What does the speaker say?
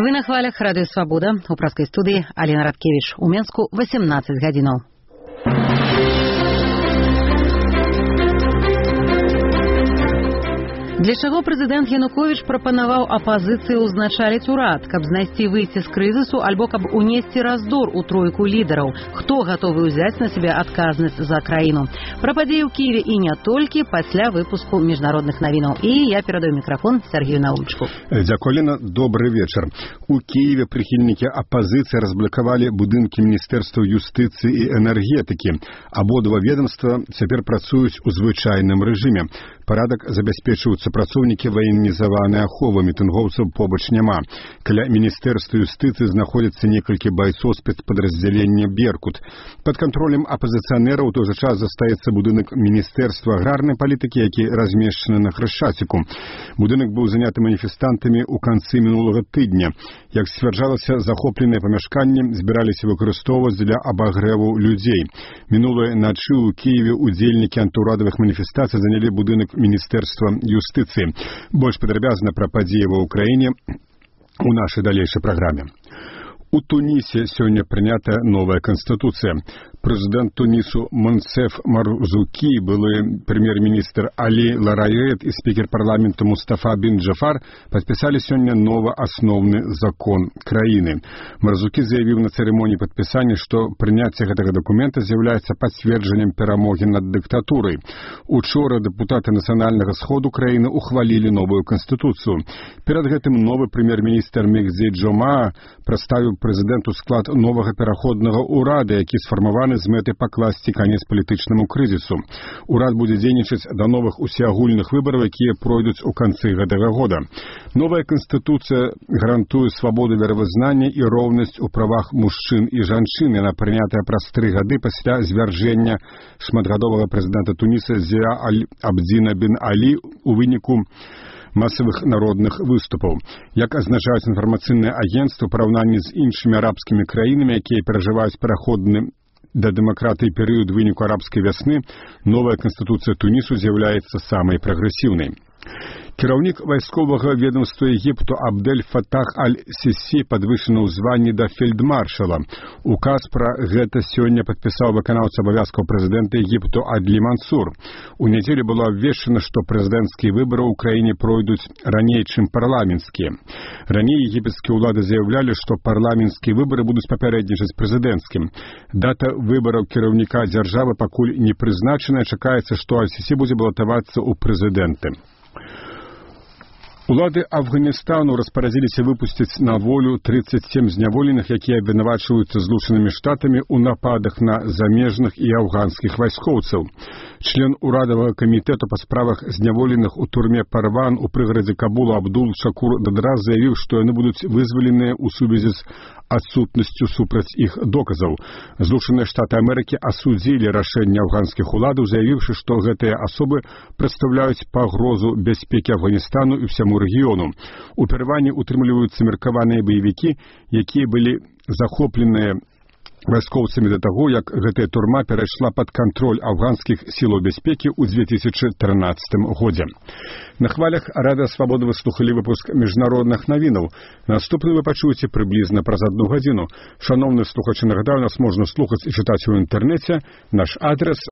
Вы на хвалях Радыё Свабода. У праскай студыі Алена Радкевіч. У Менску 18 гадзінаў. Для чаго прэзідэнт Януковіч прапанаваў апазіцыі ўзначаліць урад, каб знайсці выйсці з крызісу альбо каб унесці раздор у тройку лідараў? Хто гатовы ўзяць на сябе адказнасць за краіну? Пра падзеі ў Кіеве і не толькі пасля выпуску міжнародных навінаў. І я перадаю мікрафон Сергею Наумчыку. Дзякуй, Лена. Добры вечар. У Киеве прыхільнікі апазіцыі разблакавалі будынкі Міністэрства юстыцыі і энергетыкі. Абодва ведомства цяпер працуюць у звычайным рэжыме. Парадак забяспечваюць супрацоўнікі ваенізаванай аховы, мітынгоўцаў побач няма. Каля Міністэрства юстыцыі знаходзяцца некалькі байцоў спецпадраздзялення «Беркут». Пад кантролем апазіцыянераў у той жа час застаецца будынак Міністэрства аграрнай палітыкі, які размешчаны на Хрышчаціку. Будынак быў заняты маніфестантамі ў канцы мінулага тыдня. Як сцвярджалася, захопленыя памяшканні збіраліся выкарыстоўваць для абагрэву людзей. Минулой ночи у Киеве удзельнікі антыурадавых маніфестацый занялі будынак Міністэрства юстыцыі. Больш падрабязна пра падзеі ва ўкраіне у нашай далейшай праграме. У Тунісе сёння прынята новая канстытуцыя. Прэзідэнт Тунісу Монсеф Марзукі, былы прэм'ер-міністр Алі Ларает і спікер парламента Мустафа бин Джафар падпісалі сёння новы асноўны закон краіны. Марзукі заявіў на цырымоніі падпісання, што прыняцце гэтага дакумента з'яўляецца пацверджаннем перамогі над дыктатурай. Учора дэпутаты нацыянальнага сходу краіны ухвалілі новую канстытуцыю. Перад гэтым новы прэм'ер-міністр Мегзи Джома прадставіў прэзідэнту склад новага пераходнага ўрада, які сфармаваны з мэтай пакласці канец палітычнаму крызісу. Урад будзе дзейнічаць да новых усеагульных выбараў, якія пройдуць у канцы гэтага года. Новая канстытуцыя гарантуе свабоду веравызнання і роўнасць у правах мужчын і жанчын. Яна прынятая праз 3 гады пасля звяржэння шматгадовага прэзідэнта Туніса Зія Абдзіна бин Алі у выніку масавых народных выступаў. Як азначаюць інфармацыйныя агенцтвы ў параўнанні з іншымі арабскімі краінамі, якія перажываюць пераходны да дэмакратыі перыяд выніку арабскай вясны, новая канстытуцыя Тунісу з'яўляецца самай прагрэсіўнай. Кіраўнік вайсковага ведомства Егіпту Абдель Фатах Аль-Сісі падвышаны ў званні да фельдмаршала. Указ пра гэта сёння падпісаў выканаўца абавязкаў прэзідэнта Егіпту Адлі Мансур. У нядзелю было абвешчана, што прэзідэнцкія выбары ў краіне пройдуць раней, чым парламенцкія. Раней егіпецкія ўлады заяўлялі, што парламенцкія выбары будуць папярэднічаць прэзідэнцкім. Дата выбараў кіраўніка дзяржавы пакуль не прызначаная. Чакаецца, што Аль-Сісі будзе балатавацца ў прэзідэнты. Улады Афганістану распарадзіліся выпусціць на волю 37 зняволеных, якія абвінавачваюцца Злучанымі Штатамі ў нападах на замежных і афганскіх вайскоўцаў. Член урадавага камітэту па справах зняволеных у турме Парван у прыгарадзе Кабула Абдул Шакур Дадра заявіў, што яны будуць вызваленыя ў сувязі з адсутнасцю супраць іх доказаў. Злучаныя Штаты Амерыкі асудзілі рашэнне афганскіх уладаў, заявіўшы, што гэтыя асобы прадстаўляюць пагрозу бяспекі Афганістану і ўсяму рэгіёну. У Парване утрымліваюцца меркаваныя баевікі, якія былі захопленыя вайскоўцамі да таго, як гэтая турма перайшла пад кантроль афганскіх сілаў бяспекі ў 2013 годзе. На хвалях Радыё Свабода вы слухалі выпуск міжнародных навінаў. Наступны вы пачуеце прыблізна праз 1 гадзіну. Шаноўны слухачы, нагадаю, нас можна слухаць і чытаць у інтэрнэце. Наш адрес